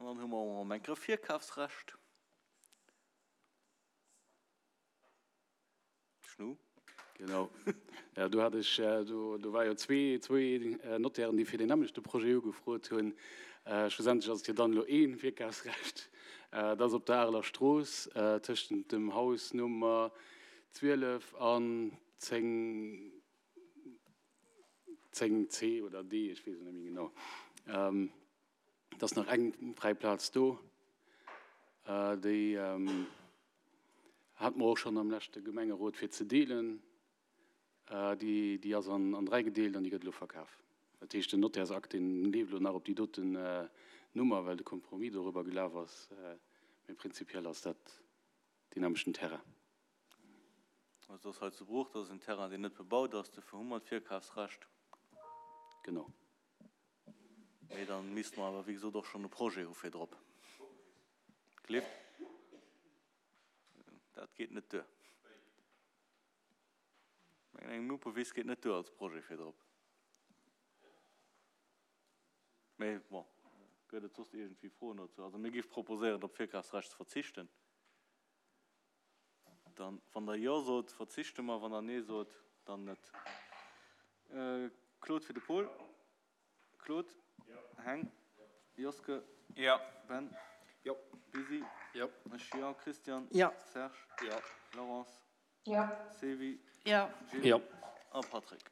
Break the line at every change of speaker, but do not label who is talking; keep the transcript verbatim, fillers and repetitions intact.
An dann hu mer och erëm eng Kéier e Virkafsrecht. Schnu.
Genau. Jo, do hat ech, do, do war jo zwee, zwee Notairen, déi fir deen nämmlechte Projet ugefrot hunn. Schlussendlech ass et jo dann elo ee Virkafsrecht. Dat ass op der Areler Strooss tëschent dem Haus Nummer zwielef an zéng, zéng C oder D, ech weess et net méi genau. Et ass nach eng fräi Plaz do, déi hate mer och schonn am leschte Gemengerot fir ze deelen. Déi, déi ass an, an dräi gedeelt an déi gëtt elo verkaf. Dat heescht, den Nottärsakt, deen leeft elo nach op déi doten Nummer, well de Compromis dorüber gelaf ass. Mee prinzipiell ass dat deen nämmlechten Terrain.
Also dat ass hei zu Bruch, dat ass en Terrain, deen net bebaut ass, dofir hu mer d'Virkafsrecht.
Genau.
Mee da misste mer awer, wéi gesot, och schonn e Projet hu fir drop. Gelift? Dat geet net duer. Ech mengen, eng Muppewis geet net duer als Projet fir drop. Mee bon, gëtt et soss iergendwéi Froen dozou? Also mir géife proposéieren, op d'Virkafsrecht ze verzichten. Dann, wann Der Jo sot, verzichte mer, wann Der Nee sot, dann net. Claude fir de Paul. Claude? Heng? Joske? Ben? Busy? Ech jo. Christian? Serge? Laurence? Sevi? Gilles? A Patrick?